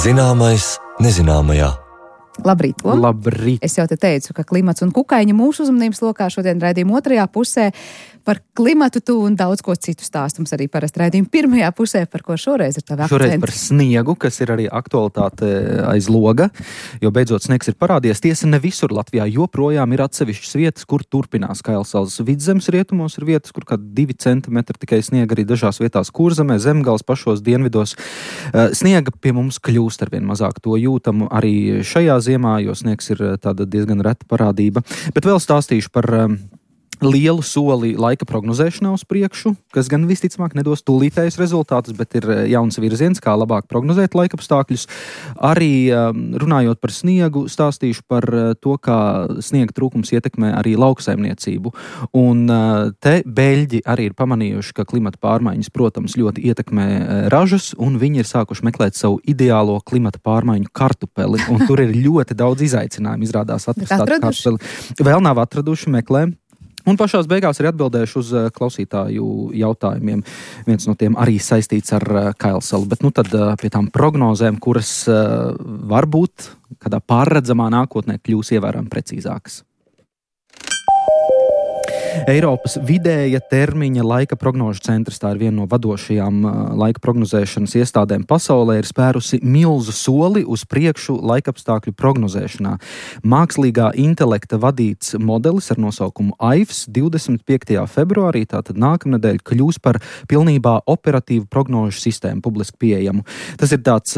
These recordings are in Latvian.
Zināmais nezināmajā. Labrīt, Tom. Labrīt. Es jau te teicu, ka klimats un kukaiņi mūsu uzmanības lokā šodien raidījuma otrajā pusē par klimatu tu un daudz ko citu stāstums arī parasti raidījuma pirmajā pusē, par ko šoreiz ir tavi akcenti. Šoreiz par sniegu, kas ir arī aktualitāte aiz loga, jo beidzot sniegs ir parādījies. Tiesa, ne visur Latvijā joprojām ir atsevišķas vietas, kur turpinās Kailsalas vidzemes rietumos, ir vietas, kur kādi 2 centimetri tikai sniega, arī dažās vietās Kurzemē, Zemgales pašos dienvidos. Sniega pie mums kļūst arvien mazāk, to jūtam arī šajā ziemā, jo sniegs ir tāda diezgan reta parādība. Bet vēl stāstīšu par lielu soli laika prognozēšanā uz priekšu, kas gan visticamāk nedos tūlītējus rezultātus, bet ir jauns virziens, kā labāk prognozēt laikapstākļus. Arī runājot par sniegu, stāstīšu par to, kā sniega trūkums ietekmē arī lauksaimniecību. Un te beļģi arī ir pamanījuši, ka klimata pārmaiņas, protams, ļoti ietekmē ražas, un viņi ir sākuši meklēt savu ideālo klimata pārmaiņu kartupeli. Un tur ir ļoti daudz izaicinājumu, izrādās atrast tādu kartupeli. Vēl nav atraduši, meklē. Un pašās beigās arī atbildēšu uz klausītāju jautājumiem. Viens no tiem arī saistīts ar Kailsalu. Bet tad pie tām prognozēm, kuras varbūt kādā pārredzamā nākotnē kļūs ievērojami precīzākas. Eiropas vidēja termiņa laika prognožu centrs, tā ir viena no vadošajām laika prognozēšanas iestādēm pasaulē, ir spērusi milzu soli uz priekšu laikapstākļu prognozēšanā. Mākslīgā intelekta vadīts modelis ar nosaukumu AIFS 25. februārī, tātad nākamnedēļ, kļūs par pilnībā operatīvu prognožu sistēmu publiski pieejamu. Tas ir tāds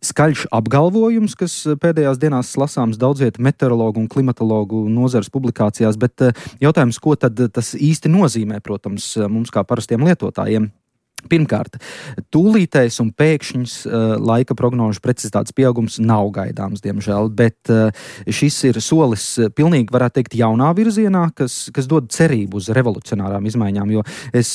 skaļš apgalvojums, kas pēdējās dienās lasāms daudzviet meteorologu un klimatologu nozares publikācijās, bet jautājums, ko tad tas īsti nozīmē, protams, mums kā parastiem lietotājiem. Pirmkārt, tūlītējs un pēkšņs laika prognožu precizitātes pieaugums nav gaidāms, diemžēl, bet šis ir solis pilnīgi, varētu teikt, jaunā virzienā, kas dod cerību uz revolucionārām izmaiņām, jo es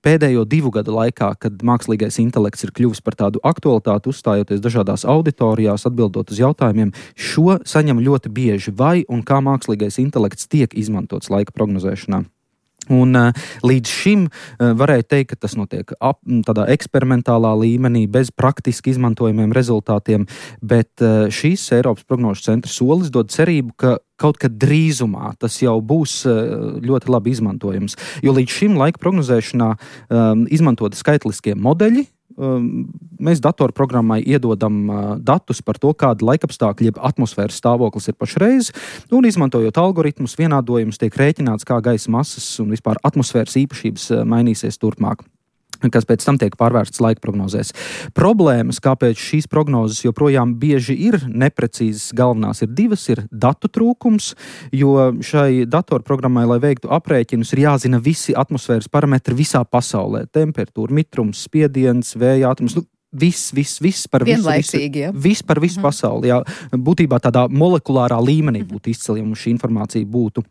pēdējo 2 gadu laikā, kad mākslīgais intelekts ir kļuvis par tādu aktualitāti, uzstājoties dažādās auditorijās, atbildot uz jautājumiem, šo saņem ļoti bieži, vai un kā mākslīgais intelekts tiek izmantots laika prognozēšanā. Un līdz šim varēja teikt, ka tas notiek tādā eksperimentālā līmenī, bez praktiski izmantojumiem rezultātiem, bet šīs Eiropas prognožu centra solis dod cerību, ka kaut kad drīzumā tas jau būs ļoti labi izmantojams. Jo līdz šim laika prognozēšanā izmantoti skaitliskie modeļi. Mēs datorprogrammai iedodam datus par to, kāda laikapstākļa jeb atmosfēras stāvoklis ir pašreiz, un izmantojot algoritmus, vienādojumus tiek rēķināts, kā gaisa masas un vispār atmosfēras īpašības mainīsies turpmāk, kas pēc tam tiek pārvērstas laika prognozēs. Problēmas, kāpēc šīs prognozes joprojām bieži ir neprecīzas, galvenās ir 2, ir datu trūkums, jo šai datorprogrammai, lai veiktu aprēķinus, ir jāzina visi atmosfēras parametri visā pasaulē. Temperatūra, mitrums, spiediens, vēja ātrums, viss par visu. Vienlaicīgi, ja? Viss par visu pasauli, jā. Būtībā tādā molekulārā līmenī būtu izceļama šī informācija būtu.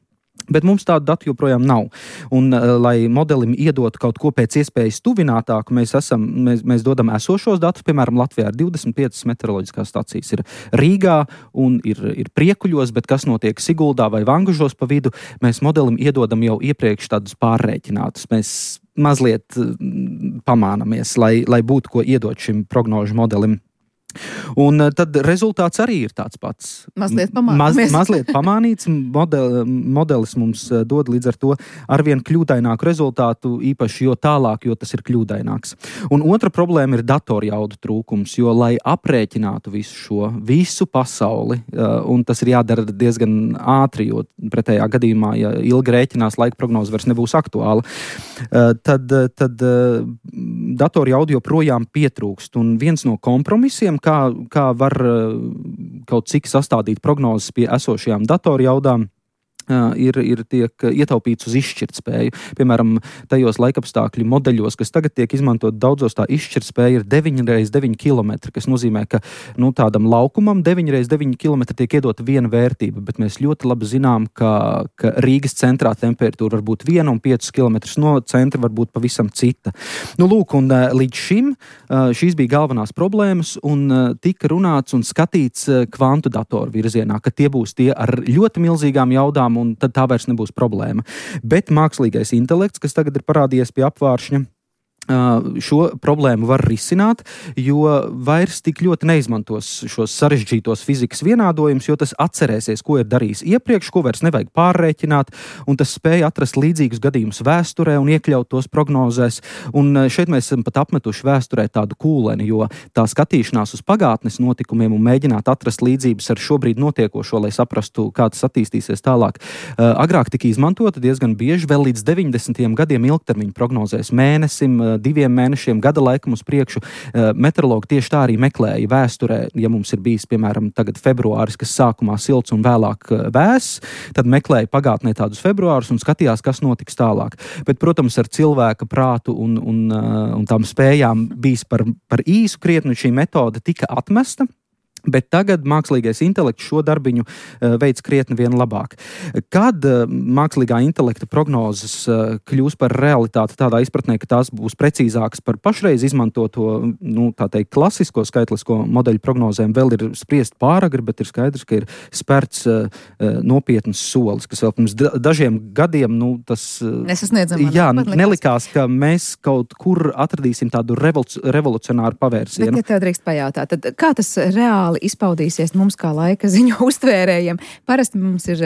Bet mums tādu datu joprojām nav. Un, lai modelim iedotu kaut ko pēc iespējas tuvinātāku, mēs dodam esošos datus. Piemēram, Latvijā ir 25 meteoroloģiskās stacijas. Ir Rīgā un ir Priekuļos, bet kas notiek Siguldā vai Vangužos pa vidu, mēs modelim iedodam jau iepriekš tādus pārrēķinātus. Mēs mazliet pamānamies, lai būtu ko iedot šim prognožu modelim. Un tad rezultāts arī ir tāds pats. Mazliet pamānīts. Mazliet pamānīts. Modelis mums dod līdz ar to arvien kļūdaināku rezultātu, īpaši jo tālāk, jo tas ir kļūdaināks. Un otra problēma ir datorjaudu trūkums, jo, lai aprēķinātu visu pasauli, un tas ir jādara diezgan ātri, jo pretējā gadījumā, ja ilgi rēķinās, laika prognoze vairs nebūs aktuāla, tad datorjaudu joprojām pietrūkst. Un viens no kompromisiem, kā var kaut cik sastādīt prognozes pie esošajām datorjaudām, tiek ietaupīts uz izšķirtspēju. Piemēram, tajos laikapstākļu modeļos, kas tagad tiek izmantot daudzos, tā izšķirtspēja ir 9x9 km, kas nozīmē, ka tādam laukumam 9x9 km tiek iedota viena vērtība, bet mēs ļoti labi zinām, ka Rīgas centrā temperatūra var būt 1 un 5 km no centra var būt pavisam cita. Lūk, un līdz šim šīs bija galvenās problēmas, un tika runāts un skatīts kvantu datoru virzienā, ka tie būs tie ar ļoti milzīgām jaudām, un tad tā vairs nebūs problēma. Bet mākslīgais intelekts, kas tagad ir parādījies pie apvāršņa, šo problēmu var risināt, jo vairs tik ļoti neizmantos šos sarežģītos fizikas vienādojumus, jo tas atcerēsies, ko ir darījis iepriekš, ko vairs nevajag pārrēķināt, un tas spēja atrast līdzīgus gadījumus vēsturē un iekļaut tos prognozēs. Un šeit mēs esam pat apmetuši vēsturē tādu kūleni, jo tā skatīšanās uz pagātnes notikumiem un mēģināt atrast līdzības ar šobrīd notiekošo, lai saprastu, kā tas attīstīsies tālāk. Agrāk tika izmantota diezgan bieži, vēl līdz 90. gadiem ilgtermiņa prognozēs mēnesim, 2 mēnešiem, gada laikam uz priekšu. Meteorologi tieši tā arī meklēja vēsturē, ja mums ir bijis, piemēram, tagad februāris, kas sākumā silts un vēlāk vēss, tad meklēja pagātnē tādus februārus un skatījās, kas notiks tālāk. Bet, protams, ar cilvēka prātu un tām spējām bijis par īsu krietni, šī metode tika atmesta. Bet tagad mākslīgais intelekts šo darbiņu veids krietni vien labāk. Kad mākslīgā intelekta prognozes kļūs par realitāti tādā izpratnē, ka tās būs precīzākas par pašreiz izmantoto, tā teikt, klasisko skaitlisko modeļu prognozēm, vēl ir spriest pāragri, bet ir skaidrs, ka ir spērts nopietnas solis, kas vēl pirms dažiem gadiem, tas nelikās, ka mēs kaut kur atradīsim tādu revolucionāru pavērsienu. Bet, ja tev drīkst pajautāt, tad kā tas reāli izpaudīsies mums kā laika ziņu uztvērējiem? Parasti mums ir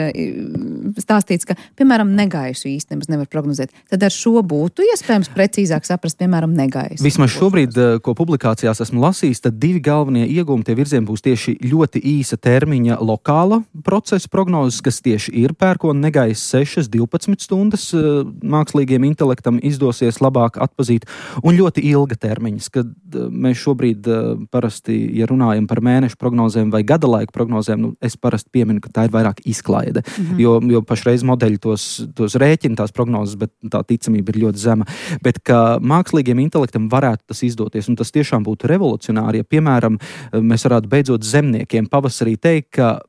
stāstīts, ka, piemēram, negaisu īsti nemaz nevar prognozēt. Tad ar šo būtu iespējams precīzāk saprast, piemēram, negaisu. Vismaz šobrīd, ko publikācijās esmu lasījis, tad 2 galvenie iegūmi tie virzieni būs tieši ļoti īsa termiņa lokāla procesa prognozes, kas tieši ir pērkona negaisa 6-12 stundas mākslīgiem intelektam izdosies labāk atpazīt, un ļoti ilga termiņas, kad mēs šobrīd parasti, ja runājam par mēnešu prognozēm vai gada laika prognozēm, es parasti pieminu, ka tā ir vairāk izklaide, jo pašreiz modeļi tos rēķina tās prognozes, bet tā ticamība ir ļoti zema. Bet ka mākslīgiem intelektam varētu tas izdoties, un tas tiešām būtu revolucionāri, ja, piemēram, mēs varētu beidzot zemniekiem pavasarī teikt, ka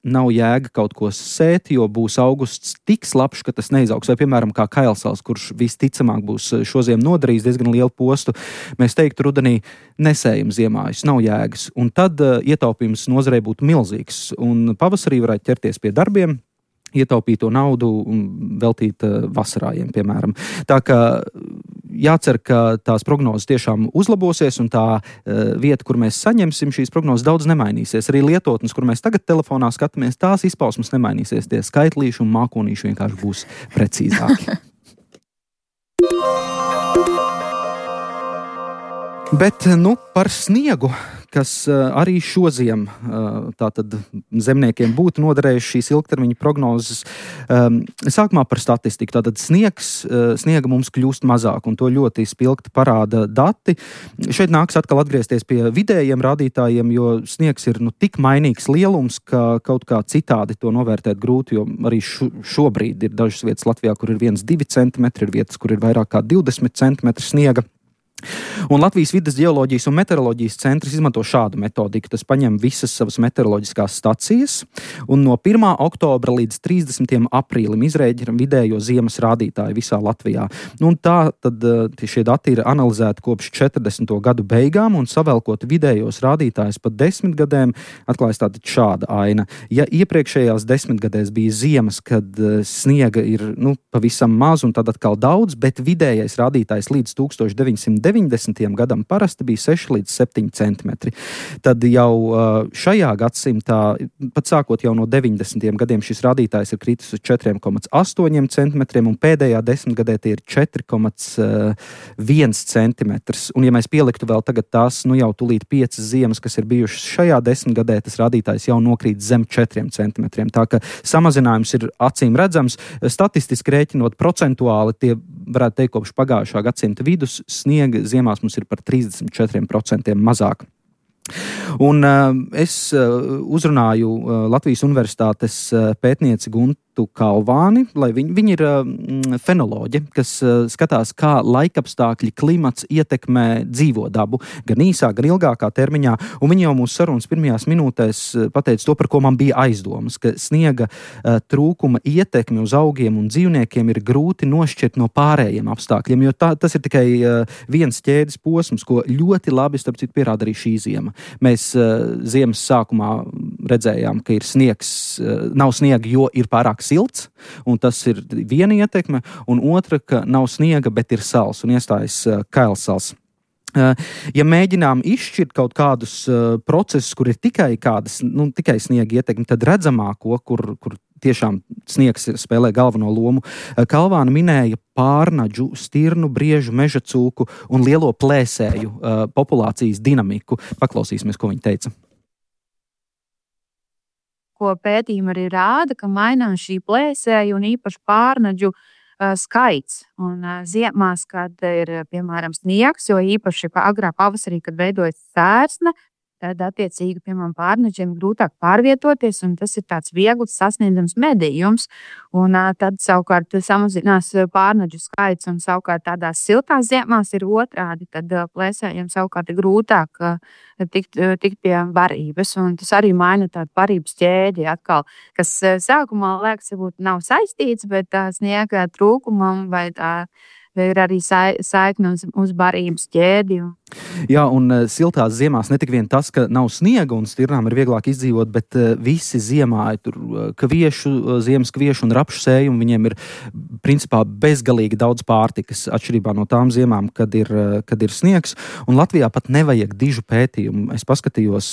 nav jēga kaut ko sēt, jo būs augusts tik slapjš, ka tas neizaugs. Vai, piemēram, kā kailsāls, kurš visticamāk būs šoziem nodarījis diezgan lielu postu, mēs teiktu rudenī nesējam ziemājus, nav jēgas. Un tad ietaupījums nozarei būtu milzīgs. Un pavasarī varētu ķerties pie darbiem, ietaupīto naudu un veltīt vasarājiem, piemēram. Tā kā jācer, ka tās prognozes tiešām uzlabosies un tā vieta, kur mēs saņemsim šīs prognozes, daudz nemainīsies. Arī lietotnes, kur mēs tagad telefonā skatāmies, tās izpausmes nemainīsies. Tie skaitlīši un mākonīši vienkārši būs precīzāki. Bet, par sniegu, kas arī šoziem tātad zemniekiem būtu noderējuši šīs ilgtermiņa prognozes. Sākumā par statistiku. Tātad sniega mums kļūst mazāk, un to ļoti spilgti parāda dati. Šeit nāks atkal atgriezties pie vidējiem rādītājiem, jo sniegs ir tik mainīgs lielums, ka kaut kā citādi to novērtēt grūti, jo arī šobrīd ir dažas vietas Latvijā, kur ir 1-2 centimetri, ir vietas, kur ir vairāk kā 20 centimetri sniega. Un Latvijas vides geoloģijas un meteoroloģijas centrs izmanto šādu metodiku. Tas paņem visas savas meteoroloģiskās stacijas un no 1. oktobra līdz 30. aprīlim izrēģina vidējo ziemas rādītāju visā Latvijā. Un tā tad šie dati ir analizēti kopš 40. gadu beigām un savelkot vidējos rādītājus pa 10 gadiem, atklājas tāda šāda aina. Ja iepriekšējās 10 gadēs bija ziemas, kad sniega ir pavisam maz un tad atkal daudz, bet vidējais rādītājs līdz 1990. gadam parasti bija 6 līdz 7 centimetri. Tad jau šajā gadsimtā, pat sākot jau no 90. gadiem, šis rādītājs ir kritis uz 4,8 centimetriem un pēdējā 10 gadē tie ir 4,1 centimetrs. Un ja mēs pieliktu vēl tagad tās, jau tūlīt 5 ziemas, kas ir bijušas šajā 10 gadē, tas rādītājs jau nokrīt zem 4 centimetriem. Tā ka samazinājums ir acīm redzams. Statistiski rēķinot procentuāli, tie varētu teikt, kopš pagājušā gadsimta vidus sniega ziemās mums ir par 34% mazāk. Un es uzrunāju Latvijas Universitātes pētnieci Guntu Kalvāni, lai viņi ir fenoloģi, kas skatās, kā laikapstākļi, klimats ietekmē dzīvo dabu, gan īsā, gan ilgākā termiņā. Un viņi jau mūsu sarunas pirmajās minūtēs pateica to, par ko man bija aizdomas, ka sniega trūkuma ietekmi uz augiem un dzīvniekiem ir grūti nošķirt no pārējiem apstākļiem, jo tas ir tikai viens ķēdes posms, ko ļoti labi, starp citu, pierāda arī šī ziema. Mēs ziemas sākumā redzējām, ka ir sniegs, nav sniega, jo ir pārāk silts, un tas ir viena ietekme, un otra, ka nav sniega, bet ir sals, un iestājas kailsals. Ja mēģinām izšķirt kaut kādus procesus, kur ir tikai sniega ietekme, tad redzamāko, kur tiešām sniegs spēlē galveno lomu, Kalvāna minēja pārnaģu, stirnu, briežu, meža cūku un lielo plēsēju populācijas dinamiku. Paklausīsimies, ko viņa teica. Ko pētījumi arī rāda, ka mainās šī plēsēju un īpaši pārnaģu skaits. Un ziemās, kad ir, piemēram, sniegs, jo īpaši agrā pavasarī, kad veidojas sērsne, tad attiecīgi, piemēram, pārnaģiem grūtāk pārvietoties, un tas ir tāds viegls sasniedzams medījums. Un tad savukārt samazinās pārnaģu skaits, un savukārt tādās siltās ziemās ir otrādi. Tad plēsējiem savukārt ir grūtāk tikt pie barības, un tas arī maina tādu barības ķēdi atkal, kas sākumā liekas, varbūt nav saistīts, bet sniega trūkumam vai ir arī saikne uz barības ķēdi. Jā, un siltās ziemās ne tik vien tas, ka nav sniega un stirnām ir vieglāk izdzīvot, bet visi ziemāji tur ziemas kviešu un rapšu sējumi, viņiem ir principā bezgalīgi daudz pārtikas, atšķirībā no tām ziemām, kad ir sniegs. Un Latvijā pat nevajag dižu pētījumu. Es paskatījos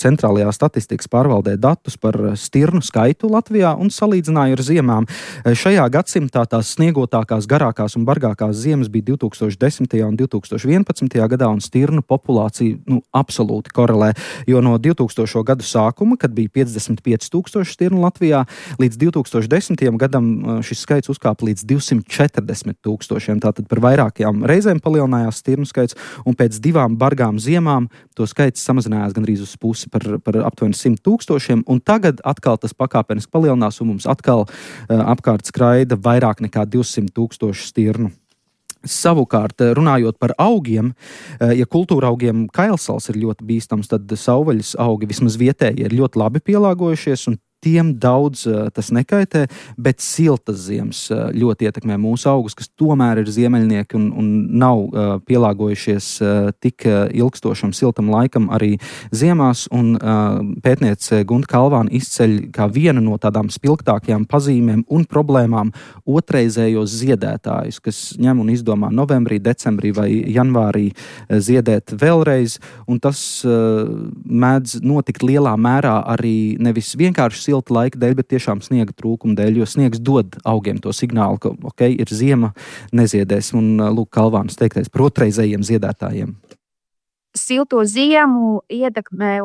centrālajā statistikas pārvaldē datus par stirnu skaitu Latvijā un salīdzināju ar ziemām. Šajā gadsimtā tās sniegotākās, garākās un bargākās ziemas bija 2010. un 2011. gadā, un stirnu populācija absolūti korelē, jo no 2000. gadu sākuma, kad bija 55,000 stirnu Latvijā, līdz 2010. gadam šis skaits uzkāpa līdz 240,000. Tātad par vairākajām reizēm palielinājās stirnu skaits, un pēc 2 bargām ziemām to skaits samazinājās gandrīz uz pusi par aptuveni 100,000, un tagad atkal tas pakāpeniski palielinās, un mums atkal apkārt skraida vairāk nekā 200,000 stirnu. Savukārt, runājot par augiem, ja kultūra augiem kailsals ir ļoti bīstams, tad savvaļas augi vismaz vietēji ir ļoti labi pielāgojušies, un tiem daudz tas nekaitē, bet siltas ziemas ļoti ietekmē mūsu augus, kas tomēr ir ziemeļnieki un nav pielāgojušies tik ilgstošam siltam laikam arī ziemās, un pētniece Gunta Kalvāna izceļ kā vienu no tādām spilgtākajām pazīmēm un problēmām otrreizējos ziedētājus, kas ņem un izdomā novembrī, decembrī vai janvārī ziedēt vēlreiz, un tas mēdz notikt lielā mērā arī nevis vienkārši silta laika dēļ, bet tiešām sniega trūkuma dēļ, jo sniegs dod augiem to signālu, ka, ir ziema, neziedēs. Un lūk, Kalvānas teiktais par otrreizējiem ziedētājiem. Silto ziemu ietekmē,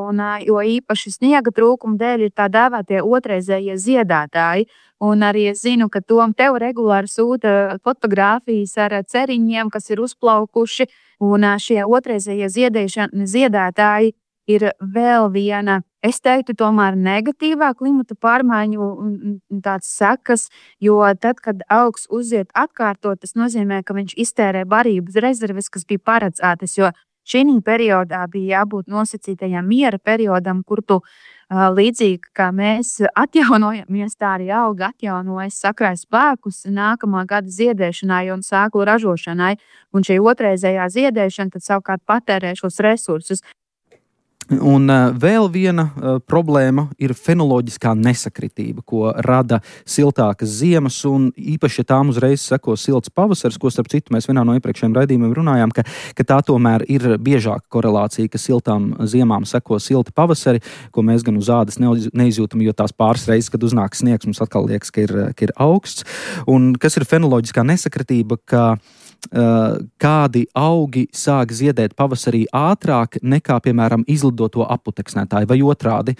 jo īpaši sniega trūkuma dēļ ir tā dēvētie otrreizējie ziedētāji. Un arī es zinu, ka Tom tev regulāri sūta fotogrāfijas ar ceriņiem, kas ir uzplaukuši, un šie otrreizējie ziedētāji ir vēl viena, es teiktu, tomēr negatīvā klimata pārmaiņu tāds sekas, jo tad, kad augs uziet atkārtot, tas nozīmē, ka viņš iztērē barības rezerves, kas bija paredzētas, jo šī periodā bija jābūt nosacītajam miera periodam, kur tu līdzīgi kā mēs atjaunojamies, tā arī auga atjaunojas, sakrāj spēkus nākamā gada ziedēšanai un sēklu ražošanai, un šī otrreizējā ziedēšana tad savukārt patērē šos resursus. Un vēl viena problēma ir fenoloģiskā nesakritība, ko rada siltākas ziemas, un īpaši, ja tām uzreiz seko silts pavasaris, ko starp citu mēs vienā no iepriekšējiem raidījumiem runājām, ka tā tomēr ir biežāka korelācija, ka siltām ziemām seko silti pavasari, ko mēs gan uz ādas neizjūtam, jo tās pāris reizes, kad uznāk sniegs, mums atkal liekas, ka ir augsts. Un kas ir fenoloģiskā nesakritība, ka kādi augi sāk ziedēt pavasarī ātrāk nekā, piemēram, izlidoto aputeksnētāji, vai otrādi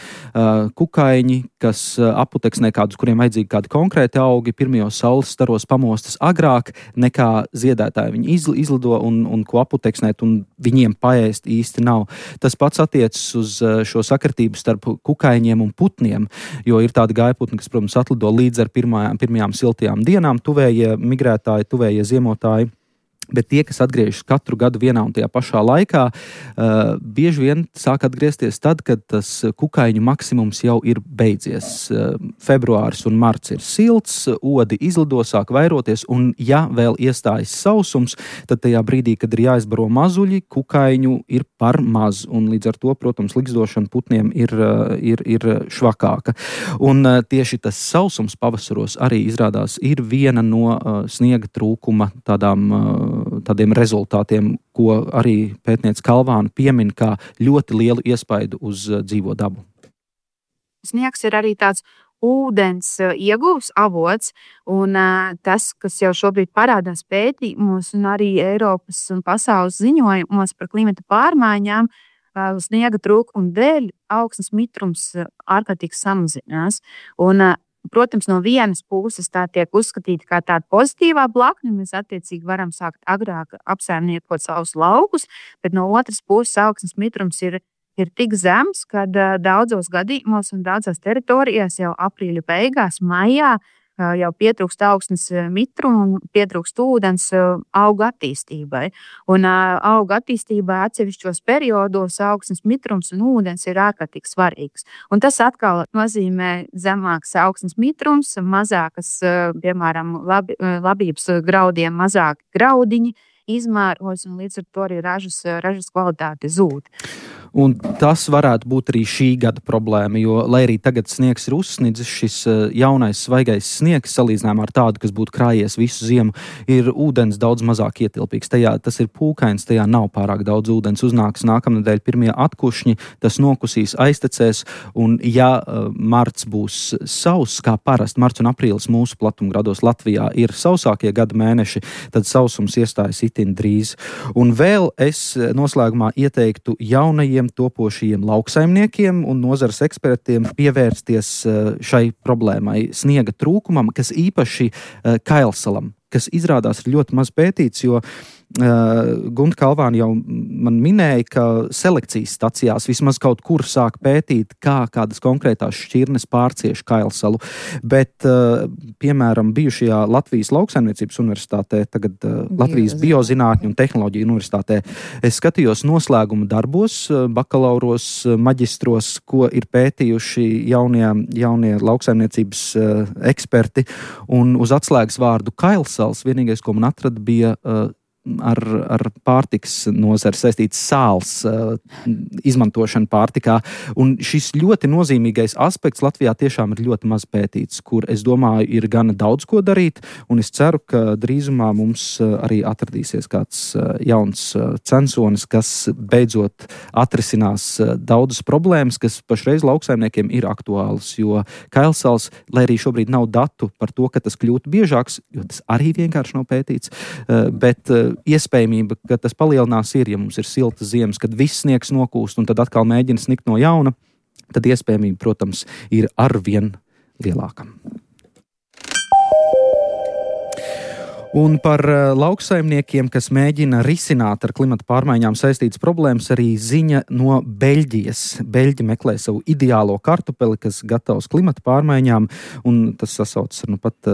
kukaiņi, kas aputeksnē kādus, kuriem vajadzīgi kādi konkrēti augi, pirmajos saules staros pamostas agrāk nekā ziedētāji. Viņi izlido un ko aputeksnēt, un viņiem paēst īsti nav. Tas pats attiecas uz šo sakritību starp kukaiņiem un putniem, jo ir tādi gājputni, kas, protams, atlido līdz ar pirmajām siltajām dienām, tuvējie migrētāji, tuvējie ziemotāji. Bet tie, kas atgriežas katru gadu vienā un tajā pašā laikā, bieži vien sāk atgriezties tad, kad tas kukaiņu maksimums jau ir beidzies. Februāris un marts ir silts, odi izlido, sāk vairoties, un ja vēl iestājas sausums, tad tajā brīdī, kad ir jāizbaro mazuļi, kukaiņu ir par maz, un līdz ar to, protams, ligzdošana putniem ir švakāka. Un tieši tas sausums pavasaros arī izrādās ir viena no sniega trūkuma tādiem rezultātiem, ko arī pētniece Kalvāna piemin kā ļoti lielu iespaidu uz dzīvo dabu. Sniegs ir arī tāds ūdens ieguvs avots, un tas, kas jau šobrīd parādās pētījumos un arī Eiropas un pasaules ziņojumos par klimata pārmaiņām, sniega trūkuma dēļ augsnes mitrums ārkārtīgi samazinās. Un protams, no vienas puses tā tiek uzskatīta kā tāda pozitīvā blakne, mēs attiecīgi varam sākt agrāk apsaimniekot savus laukus, bet no otras puses augsnes mitrums ir tik zems, kad daudzos gadījumos un daudzās teritorijās jau aprīļa beigās, maijā jau pietrūkst augsnes mitruma un pietrūkst ūdens auga attīstībai. Un auga attīstībai atsevišķos periodos augsnes mitrums un ūdens ir ārkārtīgi svarīgs. Un tas atkal nozīmē zemāks augsnes mitrums, mazākas, piemēram, labības graudiem, mazāki graudiņi izmēros, un līdz ar to arī ražas kvalitāte zūd. Un tas varētu būt arī šī gada problēma, jo, lai arī tagad sniegs ir uzsnidzis, šis jaunais svaigais sniegs, salīdzinājumā ar tādu, kas būtu krājies visu ziemu, ir ūdens daudz mazāk ietilpīgs. Tas ir pūkains, tajā nav pārāk daudz ūdens. Uznāks nākamnedēļ pirmie atkušņi, tas nokusīs, aiztecēs, un ja marts būs sauss, kā parasti, marts un aprīlis mūsu platumgrados Latvijā ir sausākie gada mēneši, tad sausums iestājas itin drīz. Un vēl es noslēgumā ieteiktu jaunajiem topošajiem lauksaimniekiem un nozares ekspertiem pievērsties šai problēmai, sniega trūkumam, kas īpaši Kailsalam, kas izrādās ir ļoti maz pētīts, jo Gunta Kalvāna jau man minēja, ka selekcijas stacijās vismaz kaut kur sāk pētīt, kādas konkrētās šķirnes pārcieš Kailsalu, bet, piemēram, bijušajā Latvijas lauksaimniecības universitātē, tagad Latvijas biozinātņu un tehnoloģiju universitātē, es skatījos noslēguma darbos, bakalauros, maģistros, ko ir pētījuši jaunie lauksaimniecības eksperti, un uz atslēgas vārdu Kailsals vienīgais, ko man atrada, bija ar pārtikas nozari saistīts sāls izmantošana pārtikā. Un šis ļoti nozīmīgais aspekts Latvijā tiešām ir ļoti maz pētīts, kur, es domāju, ir gana daudz ko darīt, un es ceru, ka drīzumā mums arī atradīsies kāds jauns censonis, kas beidzot atrisinās daudzas problēmas, kas pašreiz lauksaimniekiem ir aktuālas, jo Kailsals, lai arī šobrīd nav datu par to, ka tas kļūtu biežāks, jo tas arī vienkārši nav pētīts, bet iespējamība, ka tas palielinās ja mums ir siltas ziemas, kad viss sniegs nokūst un tad atkal mēģina snikt no jauna, tad iespējamība, protams, ir arvien lielāka. Un par lauksaimniekiem, kas mēģina risināt ar klimata pārmaiņām saistītas problēmas, arī ziņa no Beļģijas. Beļģi meklē savu ideālo kartupeli, kas gatavs klimata pārmaiņām, un tas sasaucas ar pat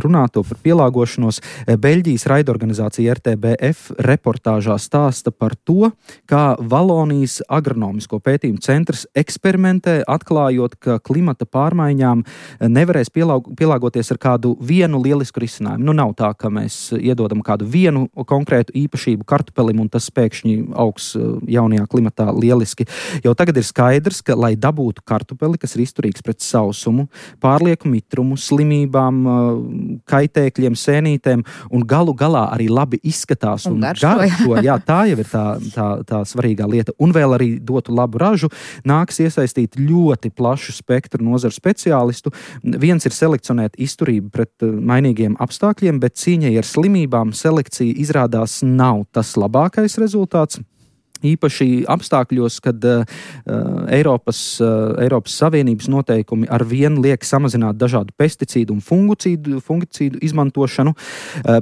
runāto par pielāgošanos. Beļģijas raidorganizācija RTBF reportāžā stāsta par to, kā Valonijas agronomisko pētījumu centrs eksperimentē, atklājot, ka klimata pārmaiņām nevarēs pielāgoties ar kādu vienu lielisku risinājumu. Nu, nav tā, ka mēs iedodam kādu vienu konkrētu īpašību kartupelim, un tas pēkšņi augs jaunajā klimatā lieliski. Jau tagad ir skaidrs, ka, lai dabūtu kartupeli, kas ir izturīgs pret sausumu, pārlieku mitrumu, slimībām, kaitēkļiem, sēnītēm, un galu galā arī labi izskatās un garšo. Jā, tā jau ir tā svarīgā lieta. Un vēl arī dotu labu ražu, nāks iesaistīt ļoti plašu spektru nozaru speciālistu. Viens ir selekcionēt izturību pret mainīgiem apstākļiem, bet cīņai ar slimībām selekcija izrādās nav tas labākais rezultāts. Īpaši apstākļos, kad Eiropas Savienības noteikumi ar vienu liek samazināt dažādu pesticīdu un fungicīdu izmantošanu.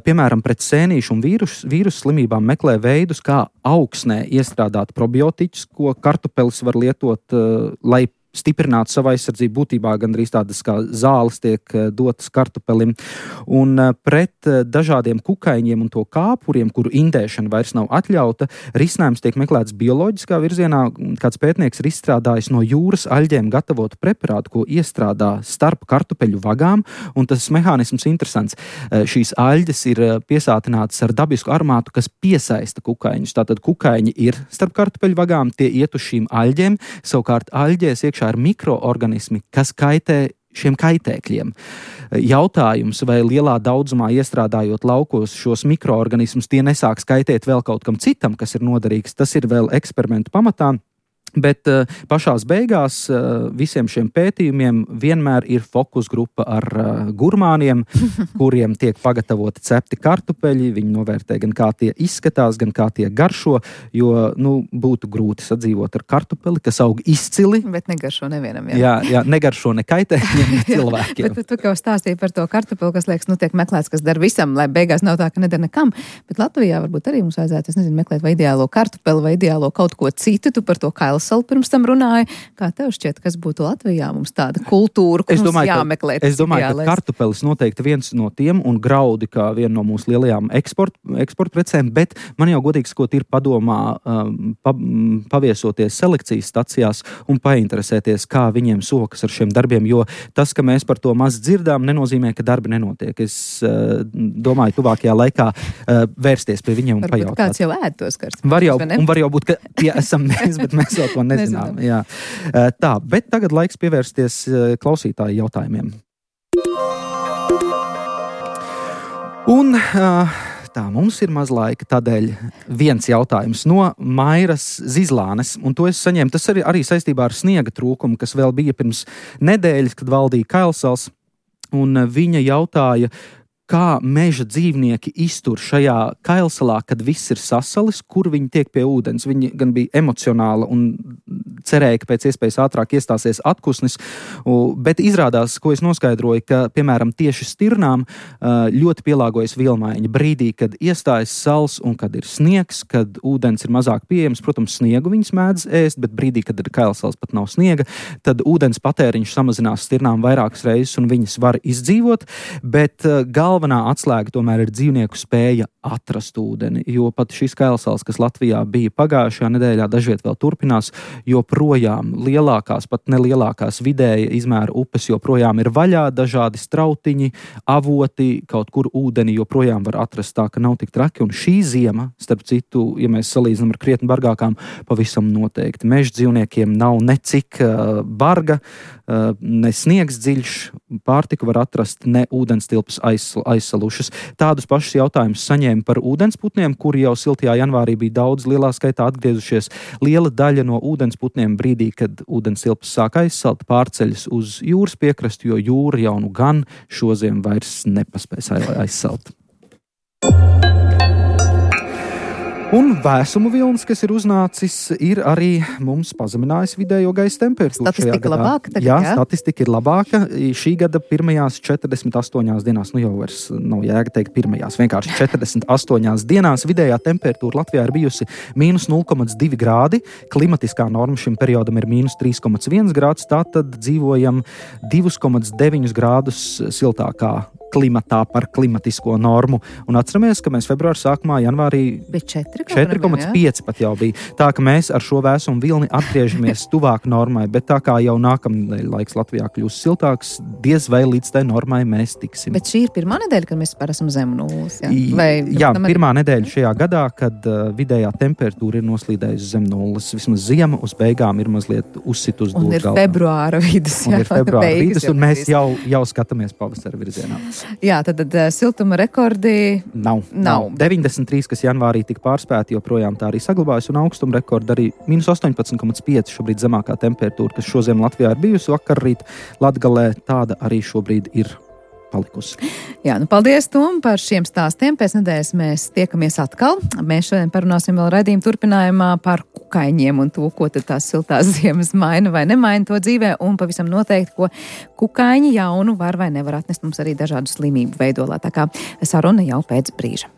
Piemēram, pret sēnīšu un vīrusu slimībām meklē veidus, kā augsnē iestrādāt probiotiķus, ko kartupelis var lietot, lai stiprināt savu aizsardzību, būtībā gandrīz tādas kā zāles tiek dotas kartupelim. Un pret dažādiem kukaiņiem un to kāpuriem, kuru indēšana vairs nav atļauta, risinājums tiek meklēts bioloģiskā virzienā. Kāds pētnieks ir izstrādājis no jūras aļģēm gatavotu preparātu, ko iestrādā starp kartupeļu vagām, un tas mehānisms interesants. Šīs aļģes ir piesātinātas ar dabisku aromātu, kas piesaista kukaiņus. Tātad kukaiņi ir starp kartupeļu vagām, tie iet uz šīm aļģēm, savukārt aļģēs iekšā ir mikroorganismi, kas kaitē šiem kaitēkļiem. Jautājums, vai lielā daudzumā iestrādājot laukos šos mikroorganismus, tie nesāks kaitēt vēl kaut kam citam, kas ir noderīgs, tas ir vēl eksperimentu pamatā. Bet pašās beigās visiem šiem pētījumiem vienmēr ir fokus grupa ar gurmāniem, kuriem tiek pagatavoti cepti kartupeļi. Viņi novērtē gan kā tie izskatās, gan kā tie garšo, jo būtu grūti sadzīvot ar kartupeli, kas aug izcili. Bet negaršo nevienam. Jā, negaršo ne kaitēkļiem, ne cilvēkiem. Bet tu jau stāstīji par to kartupeli, kas liekas, tiek meklēts, kas dara visam, lai beigās nav tā, ka nedara nekam. Bet Latvijā varbūt arī mums vajadzētu, meklēt vai ideālo kartupeli, vai ideālo kaut ko citu. Tu par to Kailsalu pirms tam runāja. Kā tev šķiet, kas būtu Latvijā mums tāda kultūra, ko mums jāmeklē? Es domāju, ka kartupelis noteikti viens no tiem un graudi kā viena no mūsu lielajām eksporta precēm, bet man jau godīgi sakot ir padomā paviesoties selekcijas stacijās un painteresēties, kā viņiem sokas ar šiem darbiem, jo tas, ka mēs par to maz dzirdām, nenozīmē, ka darbi nenotiek. Es domāju, tuvākajā laikā vērsties pie viņiem un pajautāt. Varbūt kāds jau ēd tos karstus. Var jau būt, ka tie esam mēs, bet mēs vēl to nezinām. Jā. Tā, bet tagad laiks pievērsties klausītāju jautājumiem. Un tā, mums ir maz laika, tādēļ viens jautājums no Mairas Zizlānes, un to es saņēmu, tas arī saistībā ar sniega trūkumu, kas vēl bija pirms nedēļas, kad valdīja Kailsals, un viņa jautāja, kā meža dzīvnieki iztur šajā Kailsalā, kad viss ir sasalis, kur viņi tiek pie ūdens. Viņi gan bija emocionāli un cerēja, ka pēc iespējas ātrāk iestāsies atkusnis, bet izrādās, ko es noskaidroju, ka, piemēram, tieši stirnām ļoti pielāgojas vielmaiņa. Brīdī, kad iestājas sals un kad ir sniegs, kad ūdens ir mazāk pieejams, protams, sniegu viņas mēdz ēst, bet brīdī, kad ir Kailsals, pat nav sniega, tad ūdens patēriņš samazinās stirnām vairākas reizes un viņas var izdzīvot, bet galvenā atslēga tomēr ir dzīvnieku spēja atrast ūdeni, jo pat šis Kailsals, kas Latvijā bija pagājušajā nedēļā, dažviet vēl turpinās, joprojām lielākās, pat nelielākās vidēja izmēra upes joprojām ir vaļā, dažādi strautiņi, avoti, kaut kur ūdeni joprojām var atrast tā, ka nav tik traki, un šī ziema, starp citu, ja mēs salīdzinām ar krietni bargākām, pavisam noteikti. Meža dzīvniekiem nav necik barga, ne sniegs dziļš, pārtiku var atrast, ne ūdenstilpes aizsalušas. Tādus pašus jautājumus saņēma par ūdensputniem, kuri jau siltajā janvārī bija daudz lielā skaitā atgriezušies. Liela daļa no ūdensputniem brīdī, kad ūdenstilpes sāk aizsalt, pārceļas uz jūras piekrastu, jo jūra jau nu gan šoziem vairs nepaspēs aizsalt. Un vēsumu vilnis, kas ir uznācis, ir arī mums pazeminājis vidējo gaisa temperatūru. Statistika labāka tagad, jā? Statistika ir labāka. Šī gada pirmajās 48 dienās, jau vairs nav jēga teikt pirmajās, vienkārši 48 dienās vidējā temperatūra Latvijā ir bijusi -0,2 grādi. Klimatiskā norma šim periodam ir -3,1 grāds, tātad dzīvojam 2,9 grādus siltākā klimatā par klimatisko normu. Un atceramies, ka mēs februāra sākumā, janvārī 4,5 pat jau bija. Tā, ka mēs ar šo vēsumu vilni atgriežamies tuvāk normai, bet tā kā jau nākamnedēļ laiks Latvijā kļūs siltāks, diez vai līdz tai normai mēs tiksim. Bet šī ir pirmā nedēļa, kad mēs esam zem nulles. Jā, pirmā nedēļa šajā gadā, kad vidējā temperatūra ir noslīdējusi zem nulles. Vismaz ziema uz beigām ir mazliet uzsit uz dūru galvā. Un ir februāra vidus. Un mēs jau skatāmies pavasara virzienā. Jā, tad siltuma rekordi nav. 93, kas janvārī tika pārspēti, joprojām tā arī saglabājas, un augstuma rekordi arī -18,5 šobrīd zemākā temperatūra, kas šodien Latvijā ir bijusi. Vakarrīt Latgalē tāda arī šobrīd ir palikusi. Jā, paldies, Tom, par šiem stāstiem. Pēc nedēļas mēs tiekamies atkal. Mēs šodien parunāsim vēl raidījuma turpinājumā par kukaiņiem un to, ko tad tās siltās ziemas maina vai nemaina to dzīvē, un pavisam noteikti, ko kukaiņi jaunu var vai nevar atnest mums arī dažādu slimību veidolā. Tā kā saruna jau pēc brīža.